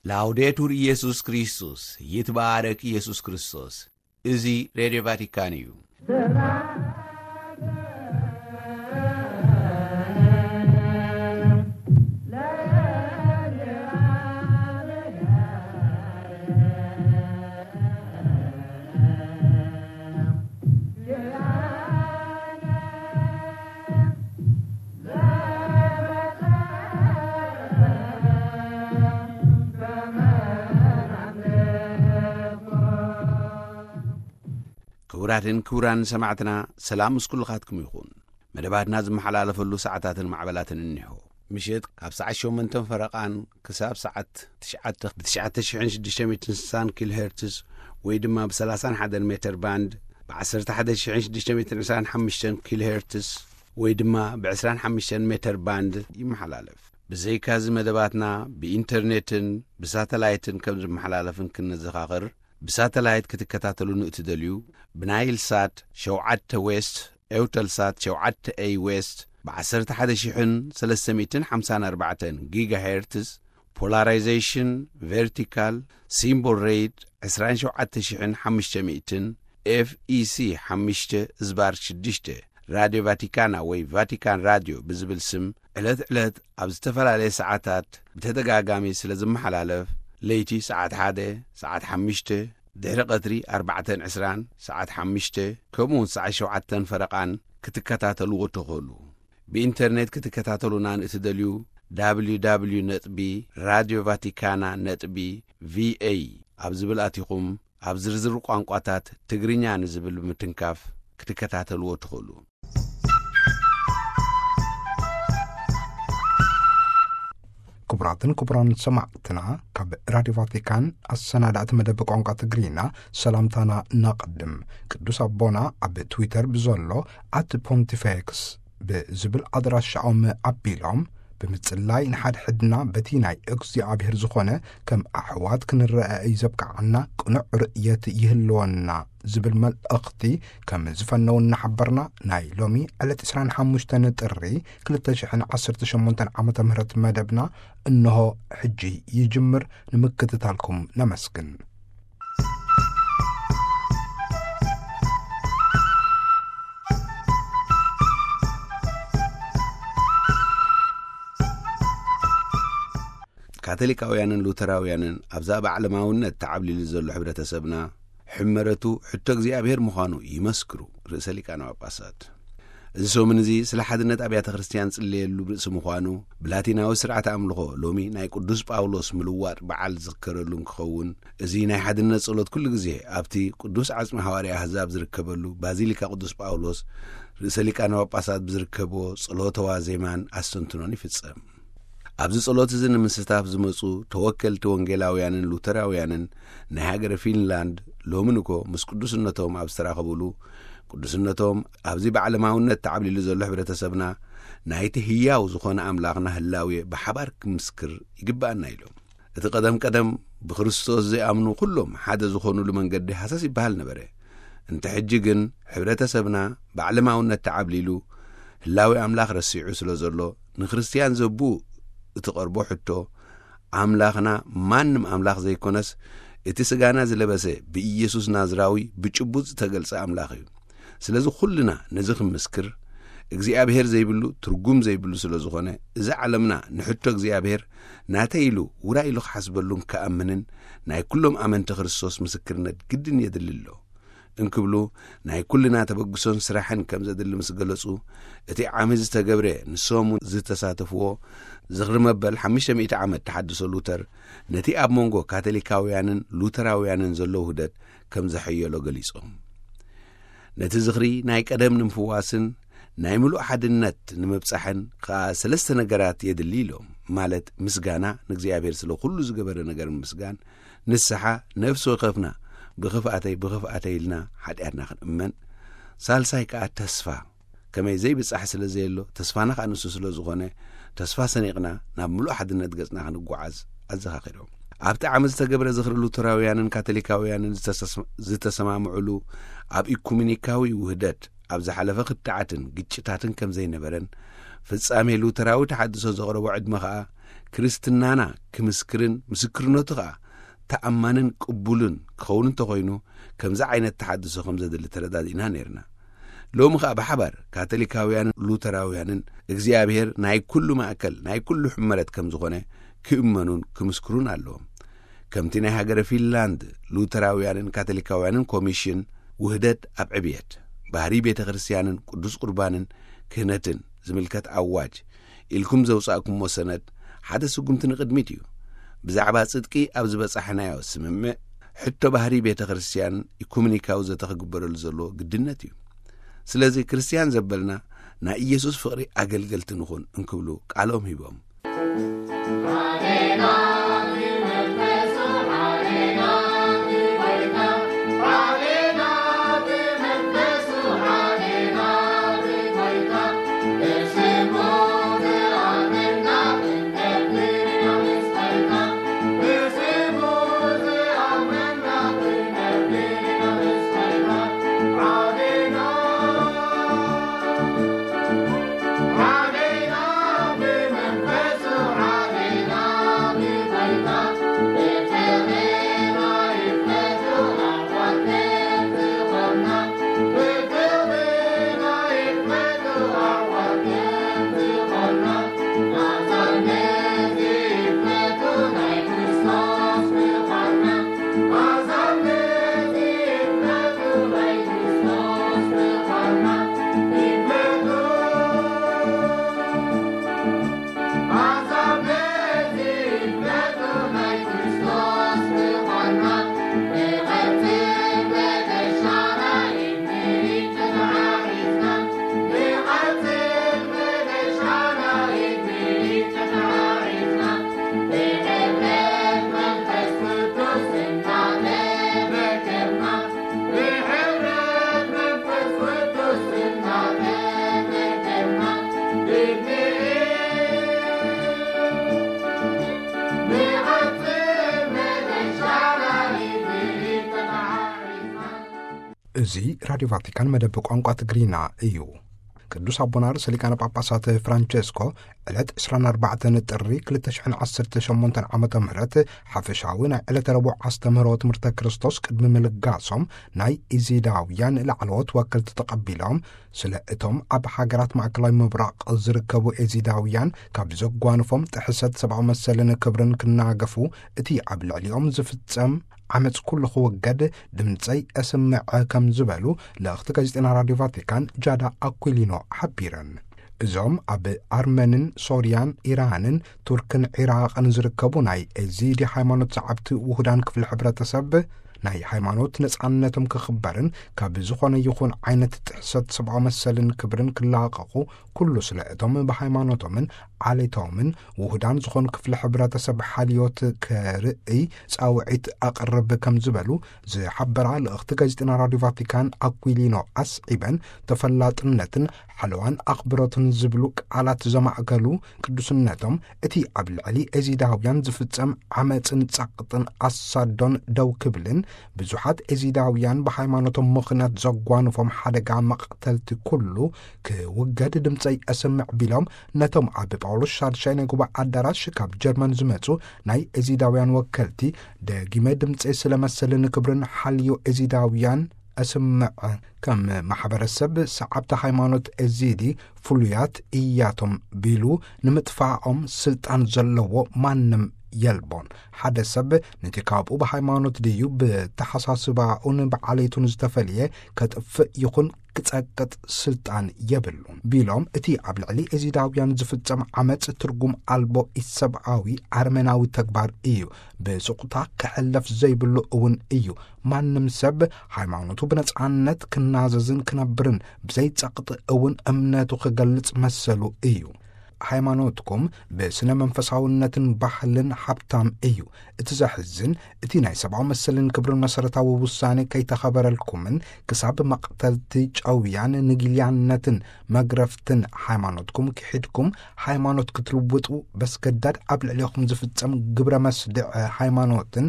ላውዴቱር ኢየሱስ ክርስቶስ፣ ይትባረክ ኢየሱስ ክርስቶስ። እዚ ሬድዮ ቫቲካን እዩ። ክቡራትን ክቡራን ሰማዕትና፣ ሰላም ምስ ኩልኻትኩም ይኹን። መደባትና ዝመሓላለፈሉ ሰዓታትን ማዕበላትን እኒሆ። ምሽት ካብ ሰዓት ሸሞንተን ፈረቓን ክሳብ ሰዓት ትሽዓተ ብ ትሽዓተ ሽሕን ሽዱሽተ ሚእትን ስሳን ኪሎ ሄርትዝ ወይ ድማ ብ ሰላሳን ሓደን ሜተር ባንድ፣ ብ ዓሰርተ ሓደ ሽሕን ሽዱሽተ ሚእትን ዕስራን ሓሙሽተን ኪሎ ሄርትዝ ወይ ድማ ብ ዕስራን ሓሙሽተን ሜተር ባንድ ይመሓላለፍ። ብዘይካዚ መደባትና ብኢንተርኔትን ብሳተላይትን ከም ዝመሓላለፍን ክንዘኻኽር፣ ብሳተላይት ክትከታተሉ ንእትደልዩ፣ ብናይል ሳት ሸውዓተ ዌስት፣ ኤውተል ሳት ሸውዓተ ኤይ ዌስት፣ ብ ዓሰርተ ሓደ ሽሕን ሰለስተ ሚእትን ሓምሳን ኣርባዕተን ጊጋ ሄርትዝ፣ ፖላራይዜሽን ቨርቲካል፣ ሲምቦል ሬት ዕስራን ሸውዓተ ሽሕን ሓሙሽተ ሚእትን፣ ኤፍ ኢ ሲ ሓሙሽተ ዝባር ሽዱሽተ፣ ራድዮ ቫቲካና ወይ ቫቲካን ራድዮ ብዝብል ስም ዕለት ዕለት ኣብ ዝተፈላለየ ሰዓታት ብተደጋጋሚ ስለ ዝመሓላለፍ፣ ለይቲ ሰዓት ሓደ፣ ሰዓት ሓሙሽተ፣ ድሕሪ ቀትሪ ኣርባዕተን ዕስራን፣ ሰዓት ሓሙሽተ፣ ከምኡውን ሰዓት ሸውዓተን ፈረቓን ክትከታተልዎ ትኽእሉ። ብኢንተርኔት ክትከታተሉና ንእትደልዩ፣ ደብሊው ደብሊው ደብሊው ነጥቢ ራድዮ ቫቲካና ነጥቢ ቪ ኤ ኣብ ዝብል ኣቲኹም፣ ኣብ ዝርዝር ቋንቋታት ትግርኛ ንዝብል ብምትንካፍ ክትከታተልዎ ትኽእሉ። ክቡራትን ክቡራን ሰማዕትና፣ ካብ ራድዮ ቫቲካን ኣሰናዳእቲ መደብ ቋንቋ ትግርኛ ሰላምታና ነቐድም። ቅዱስ ኣቦና ኣብ ትዊተር ብዘሎ ኣት ፖንቲፌክስ ብዝብል ኣድራሻኦም ኣቢሎም፣ ብምጽላይ ንሓድሕድና በቲ ናይ እግዚኣብሔር ዝኾነ ከም ኣሕዋት ክንረአ እዩ ዘብቅዓና ቅኑዕ ርእየት ይህልወና ዝብል መልእኽቲ ከም ዝፈነው እናሓበርና፣ ናይ ሎሚ ዕለት ዕስራን ሓሙሽተን ጥሪ ክልተ ሽሕን ዓሰርተ ሸሞንተን ዓመተ ምህረት መደብና እንሆ ሕጂ ይጅምር። ንምክትታልኩም ነመስግን። ካቶሊካውያንን ሉተራውያንን ኣብዛ ብዓለማውነት ተዓብሊሉ ዘሎ ሕብረተሰብና፣ ሕመረቱ ሕቶ እግዚኣብሔር ምዃኑ ይመስክሩ ርእሰ ሊቃነ ጳጳሳት። እዚ ሰሙን እዚ ስለ ሓድነት ኣብያተ ክርስቲያን ጽለየሉ ርእሲ ምዃኑ፣ ብላቲናዊ ስርዓተ ኣምልኾ ሎሚ ናይ ቅዱስ ጳውሎስ ምልዋጥ በዓል ዝዝከረሉ እንክኸውን፣ እዚ ናይ ሓድነት ጸሎት ኩሉ ግዜ ኣብቲ ቅዱስ ዓጽሚ ሃዋርያ ኣህዛብ ዝርከበሉ ባዚሊካ ቅዱስ ጳውሎስ ርእሰ ሊቃነ ጳጳሳት ብዝርከብዎ ጸሎተ ዋዜማን ኣስተንትኖን ይፍጸም። ኣብዚ ጸሎት እዚ ንምስታፍ ዝመጹ ተወከልቲ ወንጌላውያንን ሉተራውያንን ናይ ሃገረ ፊንላንድ፣ ሎሚ ንኮ ምስ ቅዱስነቶም ኣብ ዝተራኸቡሉ፣ ቅዱስነቶም ኣብዚ ብዓለማውነት ተዓብሊሉ ዘሎ ሕብረተሰብና ናይቲ ህያው ዝኾነ ኣምላኽና ህላዌ ብሓባር ክምስክር ይግብኣና ኢሎም። እቲ ቀደም ቀደም ብክርስቶስ ዘይኣምኑ ኩሎም ሓደ ዝኾኑሉ መንገዲ ሃሰስ ይበሃል ነበረ። እንተ ሕጂ ግን ሕብረተሰብና ብዓለማውነት ተዓብሊሉ ህላዌ ኣምላኽ ረሲዑ ስለ ዘሎ፣ ንክርስትያን ዘቡ እቲ ቀርቦ ሕቶ፣ ኣምላኽና ማንም ኣምላኽ ዘይኮነስ፣ እቲ ስጋና ዝለበሰ ብኢየሱስ ናዝራዊ ብጭቡጥ ዝተገልጸ ኣምላኽ እዩ። ስለዚ ኩልና ነዚ ክምስክር እግዚኣብሔር ዘይብሉ ትርጉም ዘይብሉ ስለ ዝኾነ፣ እዚ ዓለምና ንሕቶ እግዚኣብሔር ናተይ ኢሉ ውራይ ኢሉ ክሓስበሉን ክኣምንን ናይ ኩሎም ኣመንቲ ክርስቶስ ምስክርነት ግድን የድሊ ኣሎ እንክብሉ፣ ናይ ኩልና ተበግሶን ስራሕን ከም ዘድሊ ምስ ገለጹ፣ እቲ ዓሚ ዝተገብረ ንሶም እውን ዝተሳተፍዎ ዝኽሪ መበል ሓሙሽተ ሚእቲ ዓመት ተሓድሶ ሉተር ነቲ ኣብ መንጎ ካቶሊካውያንን ሉተራውያንን ዘሎ ውህደት ከም ዘሐየሎ ገሊጾም። ነቲ ዝኽሪ ናይ ቀደም ንምፍዋስን ናይ ምሉእ ሓድነት ንምብጻሕን ከኣ ሰለስተ ነገራት የድሊ ኢሎም፣ ማለት ምስጋና ንእግዚኣብሔር ስለ ኩሉ ዝገበረ ነገር ምስጋን፣ ንስሓ፣ ነፍሲ ወከፍና ብኽፍኣተይ ብኽፍኣተይ ኢልና ሓጢኣትና ክንእመን፣ ሳልሳይ ከኣ ተስፋ፣ ከመይ ዘይብጻሕ ስለ ዘየሎ ተስፋና ከኣ ንሱ ስለ ዝኾነ፣ ተስፋ ሰኒቕና ናብ ምሉእ ሓድነት ገጽና ክንጓዓዝ ኣዘኻኺሮም። ኣብቲ ዓመት ዝተገብረ ዝኽሪ ሉተራውያንን ካቶሊካውያንን ዝተሰስ-፣ ዝተሰማምዑሉ፣ ኣብ ኢኩሜኒካዊ ውህደት ኣብ ዝሓለፈ ክትዓትን ግጭታትን ከም ዘይነበረን፣ ፍጻሜ ሉተራዊ ተሓድሶ ዘቕረቦ ዕድመ ኸኣ ክርስትናና ክምስክርን ምስክርነቱ ኸኣ ተኣማንን ቅቡልን ክኸውን እንተኾይኑ፣ ከምዚ ዓይነት ተሓድሶ ከም ዘድሊ ተረዳዲእና ነይርና። ሎሚ ኸኣ ብሓባር ካቶሊካውያንን ሉተራውያንን እግዚኣብሔር ናይ ኩሉ ማእከል፣ ናይ ኩሉ ሕመረት ከም ዝኾነ ክእመኑን ክምስክሩን ኣለዎም። ከምቲ ናይ ሃገረ ፊንላንድ ሉተራውያንን ካቶሊካውያንን ኮሚሽን ውህደት ኣብ ዕብየት ባህሪ ቤተ ክርስቲያንን ቅዱስ ቁርባንን ክህነትን ዝምልከት ኣዋጅ ኢልኩም ዘውጻእኩሞ ሰነድ ሓደ ስጉምቲ ንቕድሚት እዩ። ብዛዕባ ጽድቂ ኣብ ዝበጻሕናዮ ስምምዕ፣ ሕቶ ባህሪ ቤተ ክርስቲያን ኢኩሜኒካዊ ዘተ ክግበረሉ ዘለዎ ግድነት እዩ። ስለዚ ክርስቲያን ዘበልና ናይ ኢየሱስ ፍቕሪ ኣገልገልቲ ንኹን እንክብሉ ቃሎም ሂቦም። እዚ ራድዮ ቫቲካን መደብ ቋንቋ ትግርኛ እዩ። ቅዱስ ኣቦና ርእሰ ሊቃነ ጳጳሳት ፍራንቸስኮ ዕለት ዕስራን ኣርባዕተን ጥሪ ክልተ ሽሕን ዓሰርተ ሸሞንተን ዓመተ ምህረት ሓፈሻዊ ናይ ዕለተ ረቡዕ ኣስተምህሮ ትምህርተ ክርስቶስ ቅድሚ ምልጋሶም፣ ናይ ኤዚዳውያን ላዕለዎት ወከልቲ ተቐቢሎም፣ ስለ እቶም ኣብ ሃገራት ማእከላዊ ምብራቕ ዝርከቡ ኤዚዳውያን ካብ ዘጓንፎም ጥሕሰት ሰብኣዊ መሰልን ክብርን ክናገፉ፣ እቲ ኣብ ልዕሊኦም ዝፍጸም ዓመጽ ኩሉ ክውገድ ድምጸይ እስምዐ ከም ዝበሉ ልእኽቲ ጋዜጠና ራድዮ ቫቲካን ጃዳ ኣኩሊኖ ሓቢረን። እዞም ኣብ ኣርመንን ሶርያን ኢራንን ቱርክን ዒራቕን ዝርከቡ ናይ ኤዚዲ ሃይማኖት ሰዓብቲ ውሁዳን ክፍሊ ሕብረተሰብ፣ ናይ ሃይማኖት ነጻነቶም ክኽበርን ካብ ዝኾነ ይኹን ዓይነት ጥሕሰት ሰብኣዊ መሰልን ክብርን ክላቐቑ፣ ኩሉ ስለ እቶም ብሃይማኖቶምን ዓሌቶምን ውሁዳን ዝኾኑ ክፍሊ ሕብረተሰብ ሓልዮት ከርእይ ጻውዒት ኣቕርብ ከም ዝበሉ ዝሓበራ ልእኽቲ ጋዜጠና ራድዮ ቫቲካን ኣኩሊኖ ኣስዒበን፣ ተፈላጥነትን ሓለዋን ኣኽብሮትን ዝብሉ ቃላት ዘማእከሉ ቅዱስነቶም፣ እቲ ኣብ ልዕሊ ኤዚዳውያን ዝፍጸም ዓመጽን ጸቕጥን ኣሳዶን ደው ክብልን፣ ብዙሓት ኤዚዳውያን ብሃይማኖቶም ምኽንያት ዘጓንፎም ሓደጋ መቕተልቲ ኩሉ ክውገድ ድምጸይ ኣሰምዕ ቢሎም፣ ነቶም ኣብ ጳውሎስ ሻድሻይ ናይ ጉባኤ ኣዳራሽ ካብ ጀርመን ዝመጹ ናይ ኤዚዳውያን ወከልቲ፣ ደጊመ ድምጸይ ስለ መሰልን ክብርን ሓልዮ ኤዚዳውያን ኣስምዕ። ከም ማሕበረሰብ ሰዓብቲ ሃይማኖት ኤዚዲ ፍሉያት እያቶም ቢሉ ንምጥፋኦም ስልጣን ዘለዎ ማንም የልቦን። ሓደ ሰብ ነቲ ካብኡ ብሃይማኖት ድዩ ብተሓሳስባኡን ብዓሌቱን ዝተፈልየ ከጥፍእ ይኹን ክጸቅጥ ስልጣን የብሉን ቢሎም፣ እቲ ኣብ ልዕሊ ኤዚዳውያን ዝፍጸም ዓመጽ ትርጉም ኣልቦ ኢሰብኣዊ ኣርመናዊ ተግባር እዩ። ብስቑታ ክሕለፍ ዘይብሉ እውን እዩ። ማንም ሰብ ሃይማኖቱ ብነጻነት ክናዘዝን ክነብርን ብዘይ ጸቕጢ እውን እምነቱ ክገልጽ መሰሉ እዩ። ሃይማኖትኩም ብስነ መንፈሳውነትን ባህልን ሃብታም እዩ። እቲ ዘሕዝን፣ እቲ ናይ ሰብኣዊ መሰልን ክብርን መሰረታዊ ውሳኔ ከይተኸበረልኩምን ክሳብ መቕተልቲ ጨውያን ንጊልያነትን መግረፍትን ሃይማኖትኩም ክሒድኩም ሃይማኖት ክትልውጡ በስገዳድ ኣብ ልዕሌኹም ዝፍጸም ግብረ መስድዕ ሃይማኖትን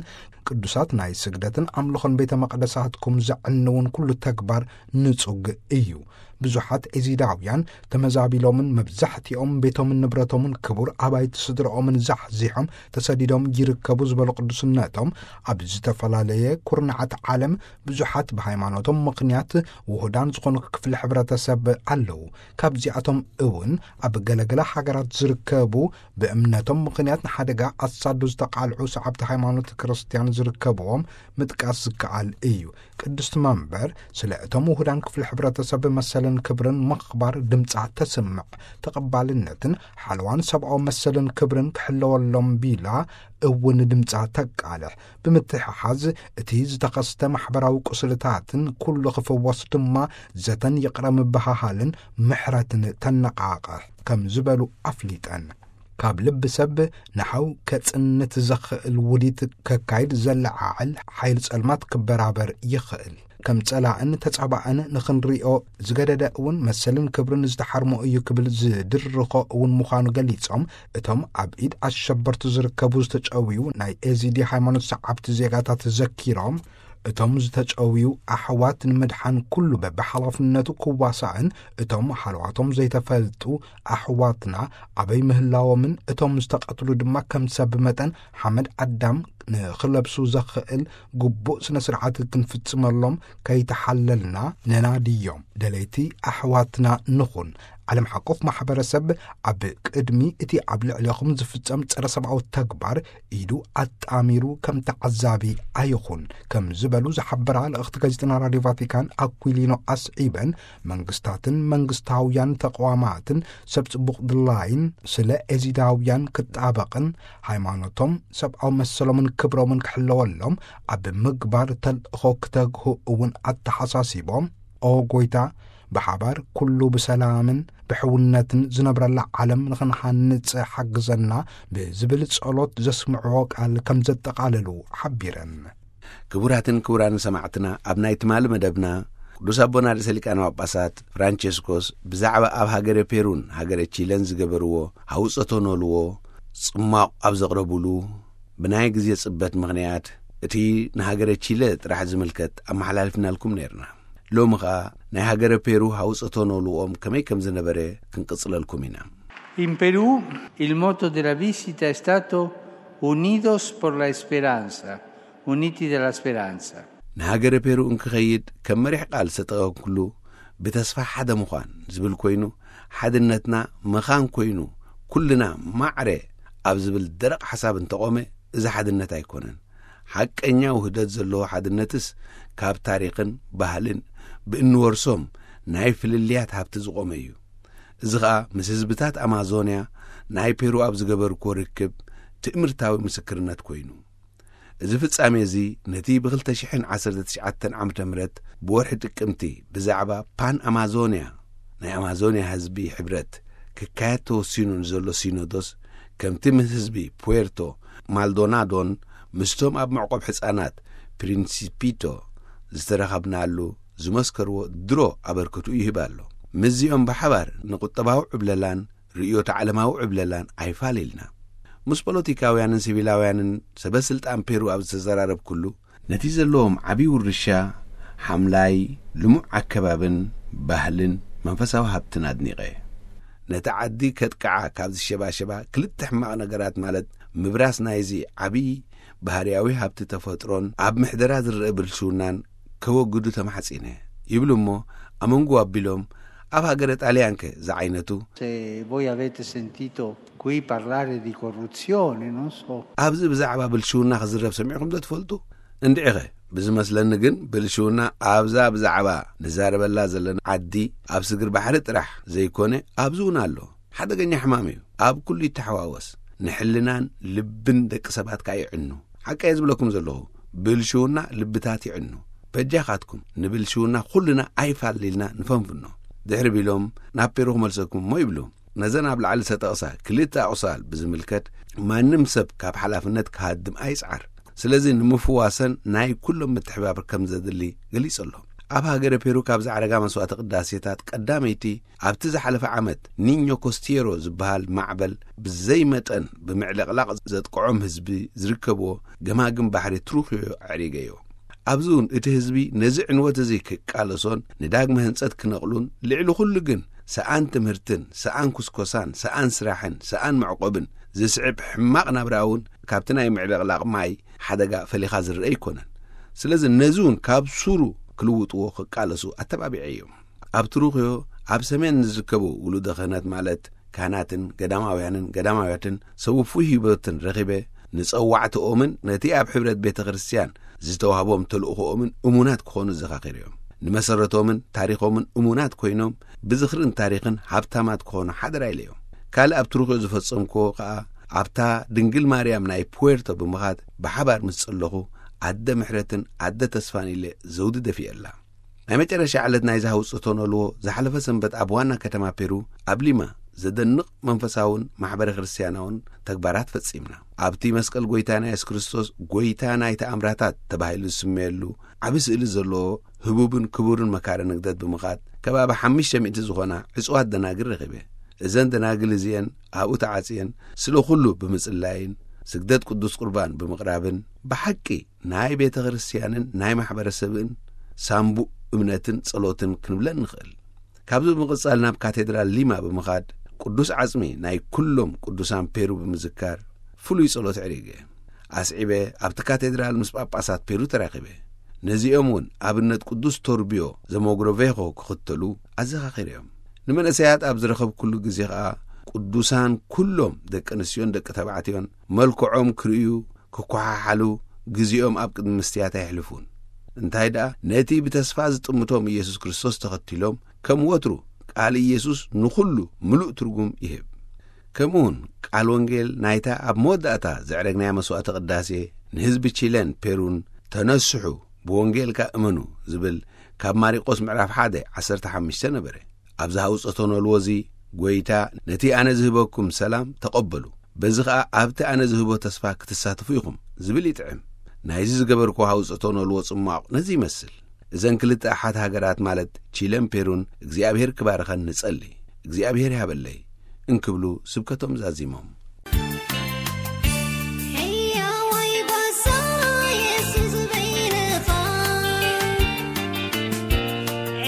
ቅዱሳት ናይ ስግደትን ኣምልኾን ቤተ መቕደሳትኩም ዘዕንውን ኩሉ ተግባር ንጹግ እዩ። ብዙሓት ኤዚዳውያን ተመዛቢሎምን መብዛሕትኦም ቤቶምን ንብረቶምን ክቡር ኣባይቲ ስድራኦምን ዛሕዚሖም ተሰዲዶም ይርከቡ ዝበሉ ቅዱስነቶም፣ ኣብ ዝተፈላለየ ኩርናዓት ዓለም ብዙሓት ብሃይማኖቶም ምኽንያት ውሁዳን ዝኾኑ ክፍሊ ሕብረተሰብ ኣለዉ። ካብዚኣቶም እውን ኣብ ገለገለ ሃገራት ዝርከቡ ብእምነቶም ምኽንያት ንሓደጋ ኣሳዱ ዝተቓልዑ ሰዓብቲ ሃይማኖት ክርስትያን ዝርከብዎም ምጥቃስ ዝከኣል እዩ። ቅድስቲ መንበር ስለ እቶም ውሁዳን ክፍሊ ሕብረተሰብ መሰልን ክብርን ምኽባር ድምጻ ተስምዕ። ተቐባልነትን ሓለዋን ሰብኣዊ መሰልን ክብርን ክሕለወሎም ቢላ እውን ድምጻ ተቃልሕ። ብምትሕሓዝ እቲ ዝተኸስተ ማሕበራዊ ቁስልታትን ኩሉ ክፍወስ ድማ ዘተን ይቕረ ምብሃሃልን ምሕረትን ተነቓቕሕ ከም ዝበሉ ኣፍሊጠን። ካብ ልቢ ሰብ ንሓው ከጽንት ዘኽእል ውዲት ከካይድ ዘለዓዕል ሓይል ጸልማት ክበራበር ይኽእል። ከም ጸላእን ተጻባእን ንኽንሪኦ ዝገደደ እውን መሰልን ክብርን ዝተሓርሞ እዩ ክብል ዝድርኾ እውን ምዃኑ ገሊጾም፣ እቶም ኣብ ኢድ ኣሸበርቲ ዝርከቡ ዝተጨውዩ ናይ ኤዚዲ ሃይማኖት ሰዓብቲ ዜጋታት ዘኪሮም፣ እቶም ዝተጨውዩ ኣሕዋት ንምድሓን ኩሉ በብሓላፍነቱ ክዋሳእን፣ እቶም ሃለዋቶም ዘይተፈልጡ ኣሕዋትና ኣበይ ምህላዎምን እቶም ዝተቐትሉ ድማ ከም ሰብ መጠን ሓመድ ኣዳም ንኽለብሱ ዘኽእል ግቡእ ስነ ስርዓት ክንፍጽመሎም ከይተሓለልና ነናድዮም። ደለይቲ ኣሕዋትና ንኹን። ዓለም ሓቆፍ ማሕበረሰብ ኣብ ቅድሚ እቲ ኣብ ልዕሌኹም ዝፍጸም ጸረ ሰብኣዊ ተግባር ኢዱ ኣጣሚሩ ከም ተዓዛቢ ኣይኹን ከም ዝበሉ ዝሓበራ ልእኽቲ ጋዜጠና ራድዮ ቫቲካን ኣኩሊኖ ኣስዒበን፣ መንግስታትን መንግስታውያን ተቋማትን ሰብ ጽቡቕ ድላይን ስለ ኤዚዳውያን ክጣበቕን ሃይማኖቶም፣ ሰብኣዊ መሰሎምን ክብሮምን ክሕለወሎም ኣብ ምግባር ተልእኾ ክተግሁ እውን ኣተሓሳሲቦም፣ ኦ ጎይታ፣ ብሓባር ኩሉ ብሰላምን ብሕውነትን ዝነብረላ ዓለም ንኽንሃንጽ ሓግዘና ብዝብል ጸሎት ዘስምዕዎ ቃል ከም ዘጠቓለሉ ሓቢረን። ክቡራትን ክቡራን ሰማዕትና፣ ኣብ ናይ ትማሊ መደብና ቅዱስ ኣቦና ርእሰ ሊቃነ ጳጳሳት ፍራንቸስኮስ ብዛዕባ ኣብ ሃገረ ፔሩን ሃገረ ቺለን ዝገበርዎ ሃውጸቶ ኖልዎ ጽማቕ ኣብ ዘቕረቡሉ፣ ብናይ ግዜ ጽበት ምኽንያት እቲ ንሃገረ ቺለ ጥራሕ ዝምልከት ኣመሓላልፍናልኩም ነይርና። ሎሚ ኸኣ ናይ ሃገረ ፔሩ ሃውጸቶ ኖልዎም ከመይ ከም ዝነበረ ክንቅጽለልኩም ኢና። In Perù il motto della visita è stato Unidos por la Speranza, Uniti della Speranza. ንሃገረ ፔሩ እንክኸይድ ከም መሪሕ ቃል ዝተጠቐምኩሉ ብተስፋ ሓደ ምዃን ዝብል ኮይኑ፣ ሓድነትና መኻን ኮይኑ ኩልና ማዕረ ኣብ ዝብል ደረቕ ሓሳብ እንተቖመ፣ እዚ ሓድነት ኣይኮነን። ሓቀኛ ውህደት ዘለዎ ሓድነትስ ካብ ታሪኽን ባህልን ብእንወርሶም ናይ ፍልልያት ሃብቲ ዝቖመ እዩ። እዚ ኸኣ ምስ ህዝብታት ኣማዞንያ ናይ ፔሩ ኣብ ዝገበርክዎ ርክብ ትእምርታዊ ምስክርነት ኮይኑ። እዚ ፍጻሜ እዚ ነቲ ብ ክልተ ሽሕን ዓሰርተ ትሽዓተን ዓመተ ምህረት ብወርሒ ጥቅምቲ ብዛዕባ ፓን ኣማዞንያ ናይ ኣማዞንያ ህዝቢ ሕብረት ክካየድ ተወሲኑ ንዘሎ ሲኖዶስ፣ ከምቲ ምስ ህዝቢ ፑዌርቶ ማልዶናዶን ምስቶም ኣብ መዕቆብ ሕጻናት ፕሪንሲፒቶ ዝተረኸብናሉ ዝመስከርዎ ድሮ ኣበርክቱ ይህብ ኣሎ። ምስዚኦም ብሓባር ንቁጠባዊ ዕብለላን ርእዮተ ዓለማዊ ዕብለላን ኣይፋል ኢልና። ምስ ፖለቲካውያንን ሲቪላውያንን ሰበ ስልጣን ፔሩ ኣብ ዝተዘራረብኩሉ፣ ነቲ ዘለዎም ዓቢ ውርሻ፣ ሓምላይ፣ ልሙዕ ኣከባብን ባህልን መንፈሳዊ ሃብትን ኣድኒቐ። ነቲ ዓዲ ከጥቅዓ ካብ ዝሸባሸባ ክልተ ሕማቕ ነገራት፣ ማለት ምብራስ ናይዚ ዓቢ ባህርያዊ ሃብቲ ተፈጥሮን ኣብ ምሕደራ ዝረአ ብልሽውናን ከወግዱ ተማሕጺነ ይብሉ እሞ፣ ኣመንጉ ኣቢሎም ኣብ ሃገረ ጣልያንከ ዝዓይነቱ? Se voi avete sentito qui parlare di corruzione, non so. ኣብዚ ብዛዕባ ብልሽውና ክዝረብ ሰሚዕኹም ዶ ትፈልጡ? እንድዒኸ፣ ብዝመስለኒ ግን ብልሽውና ኣብዛ ብዛዕባ ንዛረበላ ዘለና ዓዲ ኣብ ስግር ባሕሪ ጥራሕ ዘይኮነ ኣብዚ እውን ኣሎ። ሓደገኛ ሕማም እዩ። ኣብ ኩሉ ይተሓዋወስ። ንሕልናን ልብን ደቂ ሰባት ከኣ ይዕኑ። ሓቀየ ዝብለኩም ዘለኹ፣ ብልሽውና ልብታት ይዕኑ። በጃኻትኩም ንብልሽውና ኩልና ኣይፋል ኢልና ንፈንፍኖ። ድሕሪ ቢሎም ናብ ፔሩ ክመልሰኩም እሞ ይብሉ። ነዘን ኣብ ላዕሊ ዝተጠቕሳ ክልተ ኣቑሳል ብዝምልከት ማንም ሰብ ካብ ሓላፍነት ክሃድም ኣይጽዓር። ስለዚ ንምፍዋሰን ናይ ኩሎም ምትሕባብር ከም ዘድሊ ገሊጹ ኣሎ። ኣብ ሃገረ ፔሩ ካብ ዝዓረጋ መስዋዕተ ቅዳሴታት ቀዳመይቲ፣ ኣብቲ ዝሓለፈ ዓመት ኒኞ ኮስቲየሮ ዝበሃል ማዕበል ብዘይ መጠን ብምዕልቕላቕ ዘጥቅዖም ህዝቢ ዝርከብዎ ገማግም ባሕሪ ትሩኽዮ ኣዕሪገዮ። ኣብዚ እውን እቲ ህዝቢ ነዚ ዕንወት እዚ ክቃለሶን ንዳግመ ህንጸት ክነቕሉን፣ ልዕሊ ኩሉ ግን ሰኣን ትምህርትን ሰኣን ኩስኮሳን ሰኣን ስራሕን ሰኣን መዕቆብን ዝስዕብ ሕማቕ ናብራ እውን ካብቲ ናይ ምዕልቕላቕ ማይ ሓደጋ ፈሊኻ ዝረአ ኣይኮነን። ስለዚ ነዚ እውን ካብ ሱሩ ክልውጥዎ ክቃለሱ ኣተባቢዐዮም። ኣብ ትሩኽዮ ኣብ ሰሜን ንዝርከቡ ውሉደ ክህነት ማለት ካህናትን ገዳማውያንን ገዳማውያትን ሰውፉ ህይወትን ረኺበ፣ ንጸዋዕትኦምን ነቲ ኣብ ሕብረት ቤተ ክርስቲያን ዝተዋህቦም ተልእኾኦምን እሙናት ክኾኑ ዘኻኺርዮም። ንመሰረቶምን ታሪኾምን እሙናት ኮይኖም ብዝኽርን ታሪኽን ሃብታማት ክኾኑ ሓደራ ኢለዮም። ካልእ ኣብ ትሩኽዮ ዝፈጸምክዎ ከኣ ኣብታ ድንግል ማርያም ናይ ፑዌርቶ ብምኻድ ብሓባር ምስ ጸለኹ ኣደ ምሕረትን ኣደ ተስፋን ኢለ ዘውዲ ደፊኤላ። ናይ መጨረሻ ዕለት ናይዚ ሃውጽቶ ነልዎ ዝሓለፈ ሰንበት ኣብ ዋና ከተማ ፔሩ ኣብ ሊማ ዘደንቕ መንፈሳውን ማሕበረ ክርስቲያናውን ተግባራት ፈጺምና። ኣብቲ መስቀል ጎይታና የሱስ ክርስቶስ ጎይታ ናይ ተኣምራታት ተባሂሉ ዝስመየሉ ዓቢ ስእሊ ዘለዎ ህቡብን ክቡርን መካረ ንግደት ብምኻድ ከባቢ ሓሙሽተ ሚእቲ ዝኾና ዕጹዋት ደናግል ረኺበ። እዘን ደናግል እዚኤን ኣብኡ ተዓጽየን ስለ ኩሉ ብምጽላይን ስግደት ቅዱስ ቁርባን ብምቕራብን ብሓቂ ናይ ቤተ ክርስቲያንን ናይ ማሕበረሰብን ሳምቡእ እምነትን ጸሎትን ክንብለን ንኽእል። ካብዚ ብምቕጻል ናብ ካቴድራል ሊማ ብምኻድ ቅዱስ ዓጽሚ ናይ ኩሎም ቅዱሳን ፔሩ ብምዝካር ፍሉይ ጸሎት ዕሪገ። ኣስዒበ ኣብቲ ካቴድራል ምስ ጳጳሳት ፔሩ ተራኺበ። ነዚኦም እውን ኣብነት ቅዱስ ቶርቢዮ ዘሞግሮቬሆ ክኽተሉ ኣዘኻኺረዮም። ንመንእሰያት ኣብ ዝረኸብኩሉ ግዜ ኸኣ ቅዱሳን ኩሎም ደቂ ኣንስትዮን ደቂ ተባዕትዮን መልክዖም ክርእዩ ክኳሓሓሉ ግዜኦም ኣብ ቅድሚ መስትያት ኣይሕልፉን። እንታይ ደኣ ነቲ ብተስፋ ዝጥምቶም ኢየሱስ ክርስቶስ ተኸቲሎም ከም ወትሩ ቃል ኢየሱስ ንኹሉ ምሉእ ትርጉም ይህብ። ከምኡውን ቃል ወንጌል ናይታ ኣብ መወዳእታ ዘዕረግናያ መስዋዕተ ቅዳሴ ንህዝቢ ቺለን ፔሩን ተነስሑ ብወንጌል ከኣ እመኑ ዝብል ካብ ማሪቆስ ምዕራፍ ሓደ ዓሰርተ ሓሙሽተ ነበረ። ኣብዚ ሃውጸቶ ነልዎ እዚ ጎይታ ነቲ ኣነ ዝህበኩም ሰላም ተቐበሉ፣ በዚ ኸኣ ኣብቲ ኣነ ዝህቦ ተስፋ ክትሳተፉ ኢኹም ዝብል ይጥዕም። ናይዚ ዝገበርኩዎ ሃውጸቶ ነልዎ ጽማቕ ነዚ ይመስል። እዘን ክልተ ኣሓት ሃገራት ማለት ቺለን ፔሩን እግዚኣብሔር ክባርኸን ንጸሊ። እግዚኣብሔር ይሃበለይ እንክብሉ ስብከቶም ዛዚሞም። ሕያዋይ ባሳ የሱስ በይንኻ፣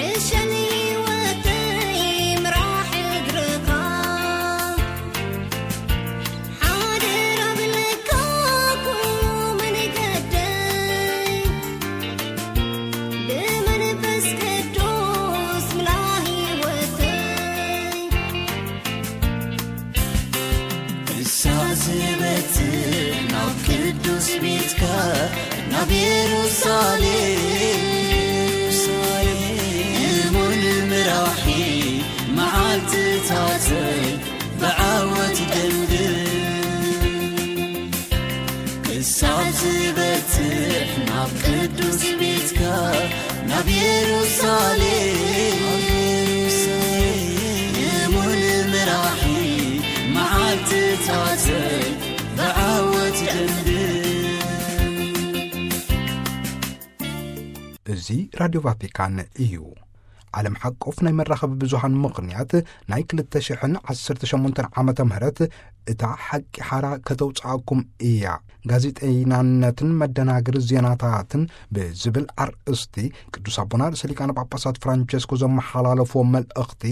ዕሸል ህይወተይ ምራሕ እግርኻ። ሓደራ ብለካ ኩሉ መንገደይ፣ ብመንፈስ ቅዱስ ምላ ህይወተይ። ክሳዕ ዝበጽሕ ናብ ቅዱስ ቤትካ ናብ የሩሳሌም፣ እሙን ምራሒ መዓልትታተይ ብዓወት ደምድም። ክሳብ ዝበጽሕ ናብ ቅዱስ ቤትካ ናብ የሩሳሌም፣ እሙን ምራሒ መዓልትታተይ ብዓወት ደምድም። እዚ ራድዮ ቫቲካን እዩ። ዓለም ሓቆፍ ናይ መራኸቢ ብዙሃን ምኽንያት ናይ ክልተ ሽሕን ዓሰርተ ሸሞንተን ዓመተ ምህረት እታ ሓቂ ሓራ ከተውጽኣኩም እያ፣ ጋዜጠይናነትን መደናገሪ ዜናታትን ብዝብል ኣርእስቲ ቅዱስ ኣቦና ርእሰ ሊቃነ ጳጳሳት ፍራንቸስኮ ዘመሓላለፍዎ መልእኽቲ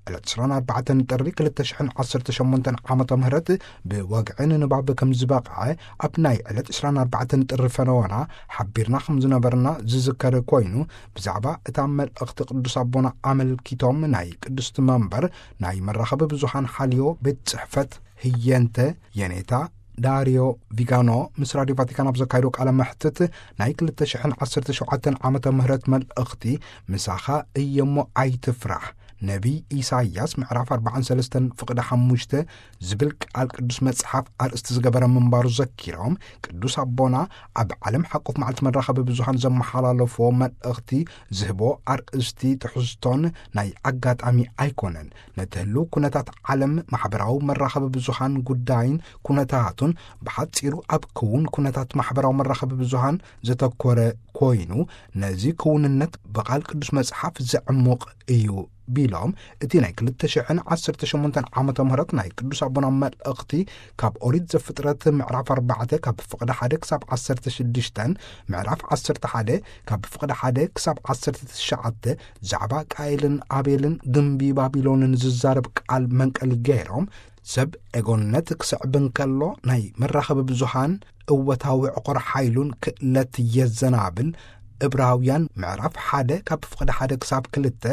ዕለት ዕስራን ኣርባዕተን ጥሪ ክልተ ሽሕን ዓሰርተ ሸሞንተን ዓመተ ምህረት ብወግዒ ንንባብ ከም ዝበቕዐ ኣብ ናይ ዕለት ዕስራን ኣርባዕተን ጥሪ ፈነወና ሓቢርና ከም ዝነበርና ዝዝከር ኮይኑ፣ ብዛዕባ እታ መልእኽቲ ቅዱስ ኣቦና ኣመልኪቶም ናይ ቅድስቲ መንበር ናይ መራኸቢ ብዙሃን ሓልዮ ቤት ጽሕፈት ህየንተ የኔታ ዳሪዮ ቪጋኖ ምስ ራድዮ ቫቲካን ኣብ ዘካየዶ ቃለ መሕትት ናይ ክልተ ሽሕን ዓሰርተ ሸውዓተን ዓመተ ምህረት መልእኽቲ ምሳኻ እየሞ ኣይትፍራሕ፣ ነቢይ ኢሳይያስ ምዕራፍ ኣርባዓን ሰለስተን ፍቕዲ ሓሙሽተ ዝብል ቃል ቅዱስ መጽሓፍ ኣርእስቲ ዝገበረ ምንባሩ ዘኪሮም፣ ቅዱስ ኣቦና ኣብ ዓለም ሓቆፍ መዓልቲ መራኸቢ ብዙሃን ዘመሓላለፎ መልእኽቲ ዝህቦ ኣርእስቲ ትሕዝቶን ናይ ኣጋጣሚ ኣይኮነን። ነቲ ህልው ኩነታት ዓለም፣ ማሕበራዊ መራኸቢ ብዙሃን ጉዳይን ኩነታቱን ብሓጺሩ ኣብ ክውን ኩነታት ማሕበራዊ መራኸቢ ብዙሃን ዘተኮረ ኮይኑ፣ ነዚ ክውንነት ብቓል ቅዱስ መጽሓፍ ዘዕሙቕ እዩ ቢሎም፣ እቲ ናይ ክልተ ሽሕን ዓሰርተ ሸሞንተን ዓመተ ምህረት ናይ ቅዱስ ኣቦና መልእኽቲ ካብ ኦሪት ዘፍጥረት ምዕራፍ ኣርባዕተ ካብ ፍቕዲ ሓደ ክሳብ ዓሰርተ ሽዱሽተን፣ ምዕራፍ ዓሰርተ ሓደ ካብ ፍቕዲ ሓደ ክሳብ ዓሰርተ ትሽዓተ፣ ዛዕባ ቃኤልን ኣቤልን ግምቢ ባቢሎንን ዝዛረብ ቃል መንቀሊ ገይሮም፣ ሰብ ኤጎነት ክስዕብ እንከሎ ናይ መራኸቢ ብዙሃን እወታዊ ዕቑር ሓይሉን ክእለት የዘናብል። እብራውያን ምዕራፍ ሓደ ካብ ፍቕዲ ሓደ ክሳብ ክልተ፣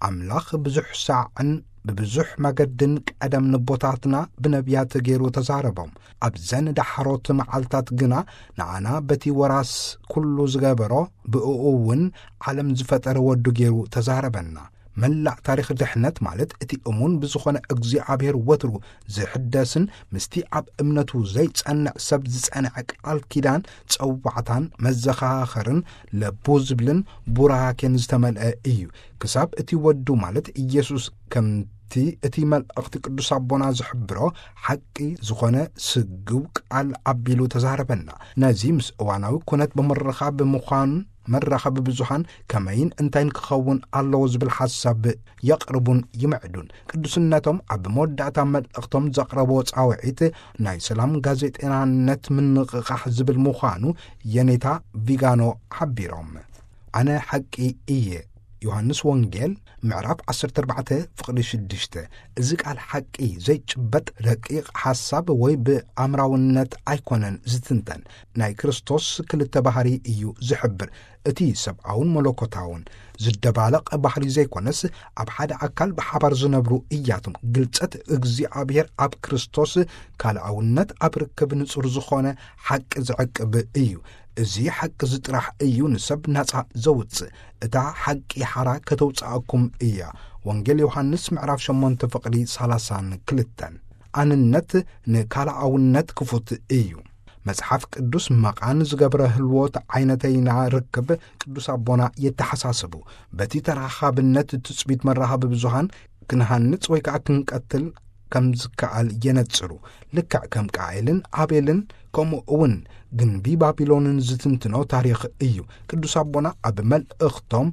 ኣምላኽ ብዙሕ ሳዕን ብብዙሕ መገድን ቀደም ንቦታትና ብነቢያት ገይሩ ተዛረቦም። ኣብዘን ዳሕሮት መዓልታት ግና ንኣና በቲ ወራስ ኩሉ ዝገበሮ፣ ብእኡ እውን ዓለም ዝፈጠረ ወዱ ገይሩ ተዛረበና። መላእ ታሪኽ ድሕነት፣ ማለት እቲ እሙን ብዝኾነ እግዚኣብሔር ወትሩ ዝሕደስን ምስቲ ኣብ እምነቱ ዘይጸንዕ ሰብ ዝጸንዐ ቃል ኪዳን፣ ጸዋዕታን መዘኻኸርን ለቡ ዝብልን ቡራኬን ዝተመልአ እዩ። ክሳብ እቲ ወዱ፣ ማለት ኢየሱስ፣ ከምቲ እቲ መልእኽቲ ቅዱስ ኣቦና ዝሕብሮ፣ ሓቂ ዝኾነ ስግው ቃል ኣቢሉ ተዛረበና። ነዚ ምስ እዋናዊ ኩነት ብምርኻብ ምዃን፣ መራኸቢ ብዙሃን ከመይን እንታይን ክኸውን ኣለዎ ዝብል ሓሳብ የቕርቡን ይምዕዱን። ቅዱስነቶም ኣብ መወዳእታ መልእኽቶም ዘቕረብዎ ጻውዒት፣ ናይ ሰላም ጋዜጠናነት ምንቕቓሕ ዝብል ምዃኑ የኔታ ቪጋኖ ሓቢሮም። ኣነ ሓቂ እየ። ዮሃንስ ወንጌል ምዕራፍ ዓሰርተ ኣርባዕተ ፍቕዲ ሽዱሽተ። እዚ ቃል ሓቂ ዘይጭበጥ ረቂቕ ሓሳብ ወይ ብኣምራውነት ኣይኮነን ዝትንተን። ናይ ክርስቶስ ክልተ ባህሪ እዩ ዝሕብር። እቲ ሰብኣውን መለኮታውን ዝደባለቕ ባህሪ ዘይኮነስ፣ ኣብ ሓደ ኣካል ብሓባር ዝነብሩ እያቶም። ግልጸት እግዚኣብሔር ኣብ ክርስቶስ ካልኣውነት ኣብ ርክብ ንጹር ዝኾነ ሓቂ ዝዕቅብ እዩ። እዚ ሓቂ እዚ ጥራሕ እዩ ንሰብ ናጻ ዘውጽእ። እታ ሓቂ ሓራ ከተውጽኣኩም እያ። ወንጌል ዮሃንስ ምዕራፍ ሸሞንተ ፍቕዲ ሰላሳን ክልተን። ኣንነት ንካልኣውነት ክፉት እዩ። መጽሓፍ ቅዱስ መቓን ዝገብረ ህልዎት ዓይነተይና ርክብ ቅዱስ ኣቦና የተሓሳስቡ። በቲ ተራኻብነት ትጽቢት መራኸቢ ብዙሃን ክንሃንጽ ወይ ከኣ ክንቀትል ከም ዝከኣል የነጽሩ። ልክዕ ከም ቃኤልን ኣቤልን፣ ከምኡ እውን ግንቢ ባቢሎንን ዝትንትኖ ታሪኽ እዩ። ቅዱስ ኣቦና ኣብ መልእኽቶም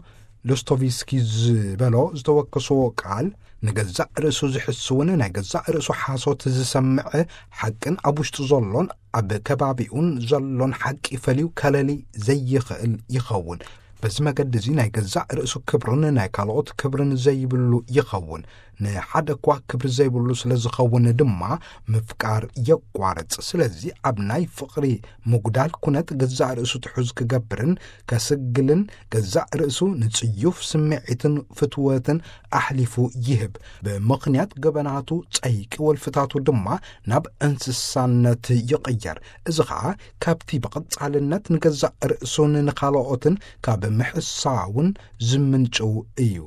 ዶስቶቭስኪ ዝበሎ ዝተወከስዎ ቃል፣ ንገዛእ ርእሱ ዝሕስውን ናይ ገዛእ ርእሱ ሓሶት ዝሰምዕ፣ ሓቅን ኣብ ውሽጡ ዘሎን ኣብ ከባቢኡን ዘሎን ሓቂ ፈልዩ ከለሊ ዘይኽእል ይኸውን። በዚ መገዲ እዚ ናይ ገዛእ ርእሱ ክብርን ናይ ካልኦት ክብርን ዘይብሉ ይኸውን። ንሓደ እኳ ክብሪ ዘይብሉ ስለ ዝኸውን ድማ ምፍቃር የቋርጽ። ስለዚ ኣብ ናይ ፍቕሪ ምጉዳል ኩነት ገዛእ ርእሱ ትሑዝ ክገብርን ከስግልን፣ ገዛእ ርእሱ ንጽዩፍ ስምዒትን ፍትወትን ኣሕሊፉ ይህብ። ብምኽንያት ገበናቱ ጸይቂ ወልፍታቱ ድማ ናብ እንስሳነት ይቕየር። እዚ ኸኣ ካብቲ ብቐጻልነት ንገዛእ ርእሱን ንኻልኦትን ካብ ምሕሳውን ዝምንጭው እዩ።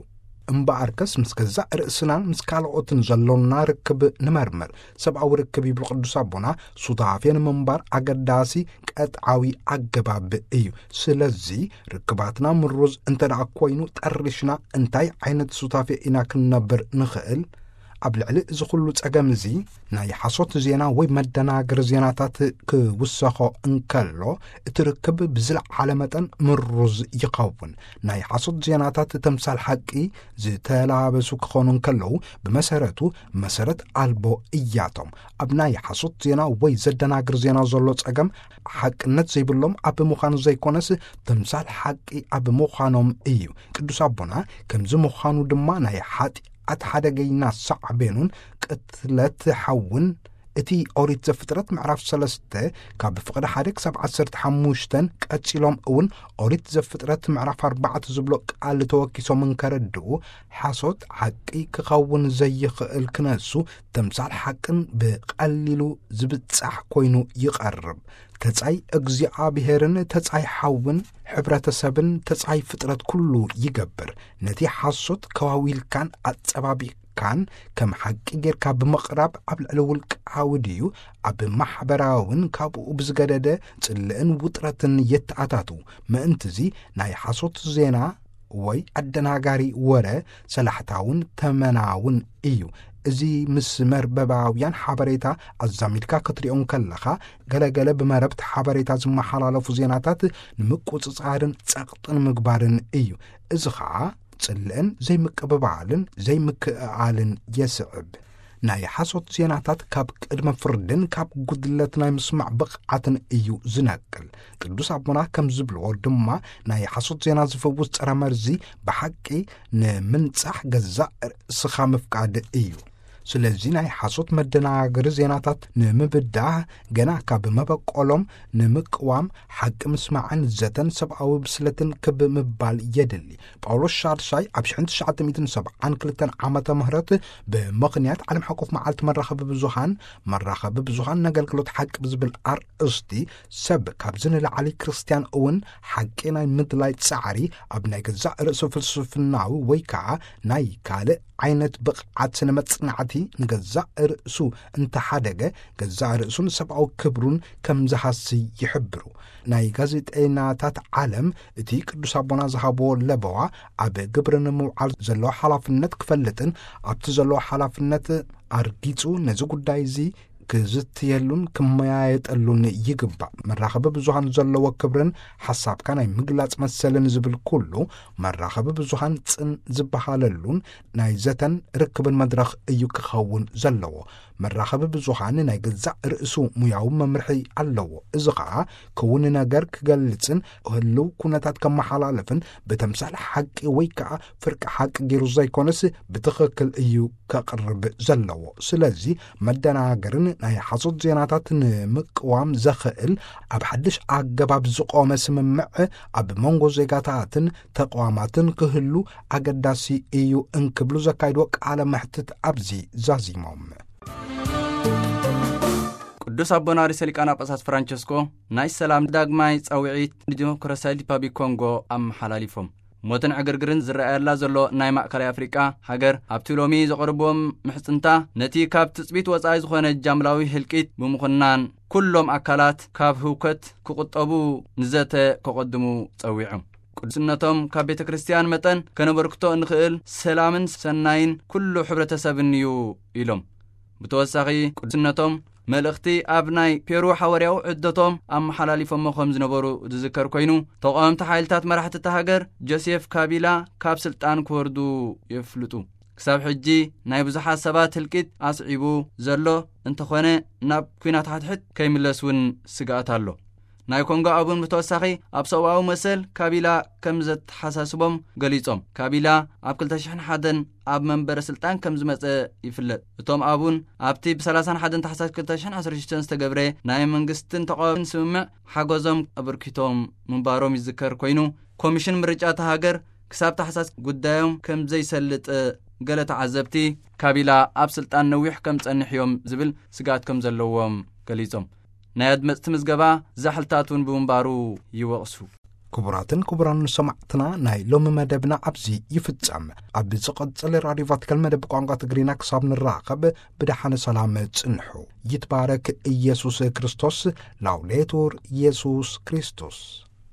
እምበኣርከስ ምስ ገዛእ ርእስናን ምስ ካልኦትን ዘሎና ርክብ ንመርምር። ሰብኣዊ ርክብ፣ ይብሉ ቅዱስ ኣቦና፣ ሱታፌ ንምንባር ኣገዳሲ ቀጥዓዊ ኣገባብ እዩ። ስለዚ ርክባትና ምሩዝ እንተ ደኣ ኮይኑ፣ ጠሪሽና እንታይ ዓይነት ሱታፌ ኢና ክንነብር ንኽእል? ኣብ ልዕሊ እዚ ኹሉ ጸገም እዚ፣ ናይ ሓሶት ዜና ወይ መደናገሪ ዜናታት ክውሰኾ እንከሎ፣ እቲ ርክብ ብዝለዓለ መጠን ምሩዝ ይኸውን። ናይ ሓሶት ዜናታት ተምሳል ሓቂ ዝተላበሱ ክኾኑ እንከለዉ፣ ብመሰረቱ መሰረት ኣልቦ እያቶም። ኣብ ናይ ሓሶት ዜና ወይ ዘደናግር ዜና ዘሎ ጸገም፣ ሓቅነት ዘይብሎም ኣብ ምዃኑ ዘይኮነስ፣ ተምሳል ሓቂ ኣብ ምዃኖም እዩ። ቅዱስ ኣቦና፣ ከምዚ ምዃኑ ድማ ናይ ሓጢኣት ሓደገይና ሳዕቤኑን ቅትለት ሓውን፣ እቲ ኦሪት ዘፍጥረት ምዕራፍ ሰለስተ ካብ ፍቕዲ ሓደ ክሳብ ዓሰርተ ሓሙሽተን፣ ቀጺሎም እውን ኦሪት ዘፍጥረት ምዕራፍ ኣርባዕተ ዝብሎ ቃል ተወኪሶም እንከረድኡ፣ ሓሶት ሓቂ ክኸውን ዘይኽእል ክነሱ፣ ተምሳል ሓቅን ብቐሊሉ ዝብጻሕ ኮይኑ ይቐርብ። ተጻይ እግዚኣብሔርን ተጻይ ሓውን ሕብረተሰብን ተጻይ ፍጥረት ኩሉ ይገብር። ነቲ ሓሶት ከዋዊልካን ኣጸባቢቕካን ከም ሓቂ ጌርካ ብምቕራብ ኣብ ልዕሊ ውልቃዊ ድዩ ኣብ ማሕበራውን ካብኡ ብዝገደደ ጽልእን ውጥረትን የተኣታቱ። ምእንትዚ ናይ ሓሶት ዜና ወይ ኣደናጋሪ ወረ ሰላሕታውን ተመናውን እዩ። እዚ ምስ መርበባውያን ሓበሬታ ኣዛሚድካ ክትሪኦ እንከለኻ፣ ገለገለ ብመረብቲ ሓበሬታ ዝመሓላለፉ ዜናታት ንምቁጽጻርን ጸቕጥን ምግባርን እዩ። እዚ ኸኣ ጽልእን ዘይምቅብባልን ዘይምክእኣልን የስዕብ። ናይ ሓሶት ዜናታት ካብ ቅድመ ፍርድን ካብ ጉድለት ናይ ምስማዕ ብቕዓትን እዩ ዝነቅል። ቅዱስ ኣቦና ከም ዝብልዎ ድማ፣ ናይ ሓሶት ዜና ዝፍውስ ጸረ መርዚ ብሓቂ ንምንጻሕ ገዛእ ርእስኻ ምፍቃድ እዩ። ስለዚ ናይ ሓሶት መደናገሪ ዜናታት ንምብዳህ፣ ገና ካብ መበቆሎም ንምቅዋም፣ ሓቂ ምስማዕን ዘተን ሰብኣዊ ብስለትን ክብ ምባል የድሊ። ጳውሎስ ሻድሻይ ኣብ ሽሕን ትሽዓተ ሚእትን ሰብዓን ክልተን ዓመተ ምህረት ብምኽንያት ዓለም ሓቆፍ መዓልቲ መራኸቢ ብዙሃን፣ መራኸቢ ብዙሃን ነገልግሎት ሓቂ ብዝብል ኣርእስቲ፣ ሰብ ካብዚ ንላዕሊ ክርስትያን እውን ሓቂ ናይ ምድላይ ጻዕሪ ኣብ ናይ ገዛእ ርእሱ ፍልስፍናዊ ወይ ከዓ ናይ ካልእ ዓይነት ብቕዓት ስነ መጽናዕቲ ንገዛእ ርእሱ እንተሓደገ፣ ገዛእ ርእሱን ሰብኣዊ ክብሩን ከም ዝሃሲ ይሕብሩ። ናይ ጋዜጠይናታት ዓለም እቲ ቅዱስ ኣቦና ዝሃብዎ ለበዋ ኣብ ግብሪ ንምውዓል ዘለዎ ሓላፍነት ክፈልጥን ኣብቲ ዘለዎ ሓላፍነት ኣርጊጹ ነዚ ጉዳይ እዚ ክዝትየሉን ክመያየጠሉን ይግባእ። መራኸቢ ብዙሃን ዘለዎ ክብርን ሓሳብካ ናይ ምግላጽ መሰልን ዝብል ኩሉ መራኸቢ ብዙሃን ጽን ዝበሃለሉን ናይ ዘተን ርክብን መድረኽ እዩ ክኸውን ዘለዎ። መራኸቢ ብዙሃን ናይ ገዛእ ርእሱ ሙያዊ መምርሒ ኣለዎ። እዚ ኸኣ ክውን ነገር ክገልጽን ህልው ኩነታት ከመሓላልፍን ብተምሳል ሓቂ ወይ ከኣ ፍርቂ ሓቂ ገይሩ ዘይኮነስ ብትኽክል እዩ ከቕርብ ዘለዎ። ስለዚ መደናገርን ናይ ሓሶት ዜናታት ንምቅዋም ዘኽእል ኣብ ሓድሽ ኣገባብ ዝቖመ ስምምዕ ኣብ መንጎ ዜጋታትን ተቋማትን ክህሉ ኣገዳሲ እዩ እንክብሉ ዘካይድዎ ቃለ መሕትት ኣብዚ ዛዚሞም። ቅዱስ ኣቦና ርእሰ ሊቃነ ጳጳሳት ፍራንቸስኮ ናይ ሰላም ዳግማይ ጻውዒት ንዲሞክራሲያዊት ሪፓብሊክ ኮንጎ ኣመሓላሊፎም። ሞትን ዕግርግርን ዝረኣየላ ዘሎ ናይ ማእከላይ ኣፍሪቃ ሃገር ኣብቲ ሎሚ ዘቕርብዎም ምሕጽንታ ነቲ ካብ ትጽቢት ወጻኢ ዝኾነ ጃምላዊ ህልቂት ብምኹናን ኩሎም ኣካላት ካብ ህውከት ክቑጠቡ ንዘተ ከቐድሙ ጸዊዖም። ቅዱስነቶም ካብ ቤተ ክርስቲያን መጠን ከነበርክቶ እንኽእል ሰላምን ሰናይን ኩሉ ሕብረተሰብን እዩ ኢሎም። ብተወሳኺ ቅዱስነቶም መልእኽቲ ኣብ ናይ ፔሩ ሓዋርያዊ ዕደቶም ኣመሓላሊፎሞ ከም ዝነበሩ ዝዝከር ኮይኑ፣ ተቓወምቲ ሓይልታት መራሕቲ እታ ሃገር ጆሴፍ ካቢላ ካብ ስልጣን ክወርዱ የፍልጡ። ክሳብ ሕጂ ናይ ብዙሓት ሰባት ህልቂት ኣስዒቡ ዘሎ እንተኾነ፣ ናብ ኲናት ሓድሕድ ከይምለስ እውን ስግኣት ኣሎ። ናይ ኮንጎ ኣቡን ብተወሳኺ ኣብ ሰብኣዊ መሰል ካቢላ ከም ዘተሓሳስቦም ገሊጾም። ካቢላ ኣብ ክልተ ሽሕን ሓደን ኣብ መንበረ ስልጣን ከም ዝመጸ ይፍለጥ። እቶም ኣቡን ኣብቲ ብ ሰላሳን ሓደን ታሕሳስ ክልተ ሽሕን ዓሰርተ ሽዱሽተን ዝተገብረ ናይ መንግስትን ተቓዋምን ስምምዕ ሓገዞም ኣበርኪቶም ምንባሮም ይዝከር ኮይኑ፣ ኮሚሽን ምርጫ እታ ሃገር ክሳብ ታሕሳስ ጉዳዮም ከም ዘይሰልጥ ገለ ተዓዘብቲ፣ ካቢላ ኣብ ስልጣን ነዊሕ ከም ጸንሕ እዮም ዝብል ስግኣት ከም ዘለዎም ገሊጾም። ናይ ኣድመጽቲ ምዝገባ ዛሕልታት እውን ብምንባሩ ይወቕሱ። ክቡራትን ክቡራን ሰማዕትና፣ ናይ ሎሚ መደብና ኣብዚ ይፍጸም። ኣብ ዝቕጽል ራድዮ ቫቲካን መደብ ቋንቋ ትግርኛ ክሳብ ንራኸብ ብደሓነ ሰላም ጽንሑ። ይትባረክ ኢየሱስ ክርስቶስ። ላውዴቱር ኢየሱስ ክርስቶስ።